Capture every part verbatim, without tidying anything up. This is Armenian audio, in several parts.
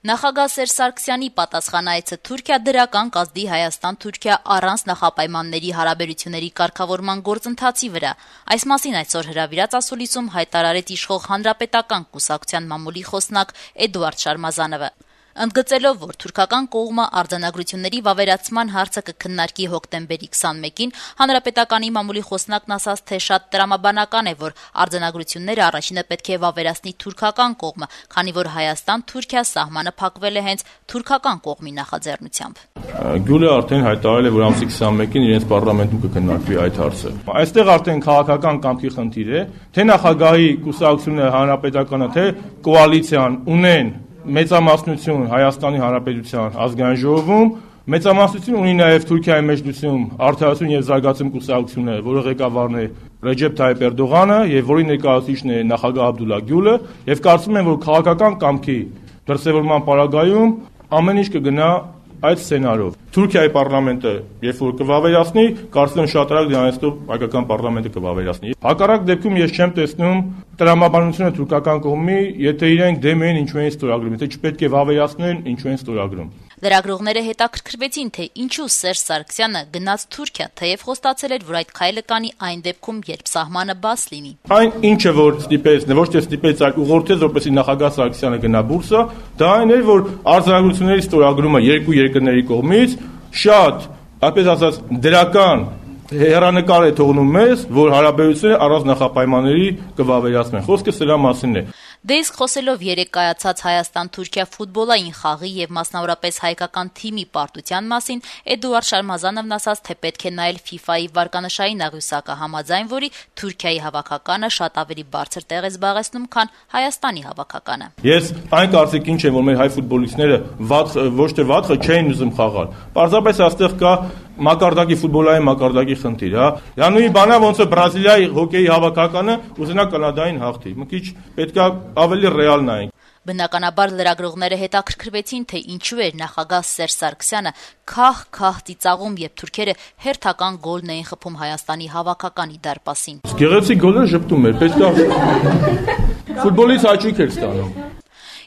Նախագահ Սերժ Սարգսյանի պատասխանայցը Թուրքիա դրական կազդի Հայաստան-Թուրքիա առանց նախապայմանների հարաբերությունների կարգավորման գործընթացի վրա։ Այս մասին այսօր հրավիրած ասուլիսում հայտարարեց իշխող Հանրապետական կուսակցության մամուլի խոսնակ Էդուարդ Շարմազանովը։ Ընդգծելով, որ թուրքական կողմը արձանագրությունների վավերացման հարցը կքննարկի հոկտեմբերի քսանմեկին, Հանրապետականի մամուլի խոսնակն ասաց, թե շատ տրամաբանական է, որ արձանագրությունները առաջինը պետք է վավերացնի թուրքական կողմը, քանի որ Հայաստան-Թուրքիա սահմանը փակվել է հենց թուրքական կողմի նախաձեռնությամբ։ Գյուլը արդեն հայտարարել է, որ ամսի քսանմեկին իրենց պարլամենտում կքննարկվի այդ հարցը։ Այստեղ արդեն քաղաքական կամքի խնդիր է, թե նախագահի կուսակցությունը, Հանրապետականը, թե կոալիցիան ունեն մեծամասնություն Հայաստանի Հանրապետության ազգային ժողովում, մեծամասնություն ունի նաև Թուրքիայի մեջլիսում Արդարություն եւ զարգացում կուսակցությունը, որը ղեկավարն է Ռեջեփ Թայիփ Էրդողանը եւ որի ներկայացուցիչն է նախագահ Աբդուլլա Գյուլը, եւ կարծում եմ, որ քաղաքական կամքի դրսևորման պարագայում ամեն ինչ կգնա այդ սցենարով։ Թուրքիայի պարլամենտը, երբ որ կվավերացնի, կարծում եմ շատ արագ դրանով հայկական պարլամենտը կվավերացնի։ Հակառակ դեպքում ես չեմ տեսնում տրամաբանությունը թուրքական կողմի, եթե իրենք դեմ են ինչու են ստորագրում, եթե չպետք է վավերացնեն, ինչու են ստորագրում։ Լրագրողները հետաքրքրվեցին, թե ինչու Սերժ Սարգսյանը գնաց Թուրքիա, թեև խոստացել էր, որ այդ քայլը կանի այն դեպքում, երբ սահմանը բաց լինի։ Այն ինչը որ ստիպեց, ոչ թե ստիպեց, այլ ուղղորդեց, որպեսզի նախագահ Սարգսյանը գնա բուրսա, դա այն էր, որ արձանագրությունների ստորագրումը երկու երկրների կողմից շատ, այսպես ասած, դրական հեռանկար է թողնում մեզ, որ հարաբերությունները առանց նախապայմանների կվավերացնեն։ Խոսքը սրա մասին է։ Դե իսկ խոսելով երեկ կայացած Հայաստան-Թուրքիա ֆուտբոլային խաղի եւ մասնավորապես հայկական թիմի պարտության մասին, Էդուարդ Շարմազանովն ասաց, թե պետք է նայել ֆիֆայի վարկանշային աղյուսակը, համաձայն որի Թուրքիայի հավաքականը շատ ավելի բարձր տեղ է զբաղեցնում, քան Հայաստանի հավաքականը։ Ես այն կարծիքին չեմ, որ մեր հայ ֆուտբոլիստները վատ ոչ թե վատ չէին ուզում խաղալ։ Պարզապես այստեղ կա մակարդակի ֆուտբոլային մակարդակի խնդիր, հա։ Յանուի բանա ոնց է Բրազիլիայի հոկեյի հավաքականը ուզենա կանադային հաղթի։ Մի քիչ պետքա ավելի ռեալ նայենք։ Բնականաբար լրագրողները հետաքրքրվեցին, թե ինչու էր նախագահ Սերժ Սարգսյանը քահ-քահ ծիծաղում, երբ թուրքերը հերթական գոլն էին խփում Հայաստանի հավաքականի դարպասին։ Գեղեցիկ գոլը ժպտում էր, պետքա ֆուտբոլից հաճույք էր ստանում։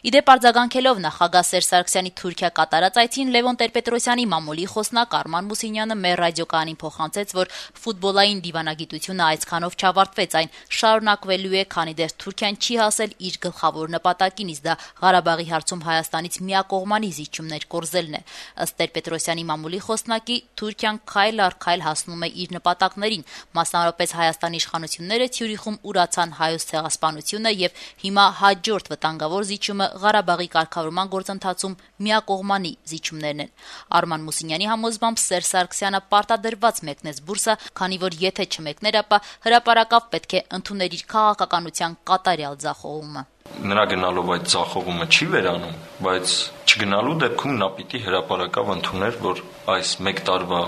Իդեպ արձագանքելով նախագահ Սերժ Սարգսյանի Թուրքիա կատարած այցին, Լևոն Տեր-Պետրոսյանի մամուլի խոսնակ Արման Մուսինյանը մեր ռադիոկայանին փոխանցեց, որ ֆուտբոլային դիվանագիտությունը այսքանով չավարտվեց, այն շարունակվելու է, քանի դեռ Թուրքիան չի հասել իր գլխավոր նպատակին, իսկ դա Ղարաբաղի հարցում Հայաստանից միակողմանի զիջումներ կորզելն է։ Ըստ Տեր-Պետրոսյանի մամուլի խոսնակի, Թուրքիան քայլ առ քայլ հասնում է իր նպատակներին, մասնավորապես Հայաստանի իշխանությունները Ցյուրիխում ուրացան հայոց ցեղասպանությունը եւ հիմա հաջորդ վտանգավոր զիջումը Ղարաբաղի կարգավորման գործընթացում միակողմանի զիջումներն են։ Արման Մուսինյանի համոզմամբ Սերժ Սարգսյանը պարտադրված մեկնեց բուրսը, քանի որ եթե չմեկներ, ապա հրապարակավ պետք է ընդուներ իր քաղաքականության կատարյալ ձախողումը։ Նրա գնալով այդ ձախողումը չի վերանում, բայց չգնալու դեպքում նա պիտի հրապարակավ ընդուներ, որ այս մեկ տարվա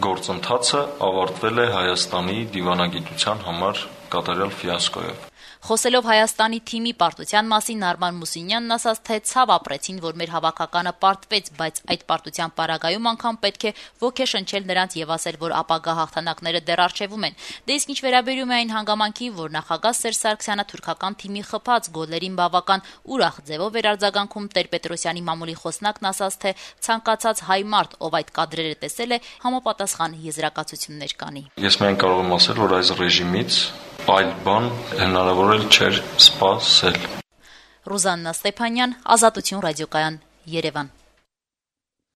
գործընթացը ավարտվել է Հայաստանի դիվանագիտության համար կատարյալ ֆիասկոյով։ Խոսելով Հայաստանի թիմի պարտության մասին, Արման Մուսինյանն ասաց, թե ցավ ապրեցին, որ մեր հավաքականը պարտվեց, բայց այդ պարտության պարագայում անգամ պետք է ոգեշնչել նրանց եւ ասել, որ ապագա հաղթանակները դեռ առջևում են։ Դե իսկ ինչ վերաբերում է այն հանգամանքի, որ նախագահ Սերժ Սարգսյանը թուրքական թիմի խփած գոլերին բավական ուրախ ձևով էր արձագանքում, Տեր-Պետրոսյանի մամուլի խոսնակն ասաց, թե ցանկացած հայ մարդ, ով այդ կադրերը տեսել է, համապատասխան եզրակացություններ կանի։ Ես միայն կարող եմ ասել, որ այս ռեժիմից այլ բան հնարավոր չէր սպասել։ Ռուզաննա Ստեփանյան, Ազատություն ռադիոկայան, Երևան։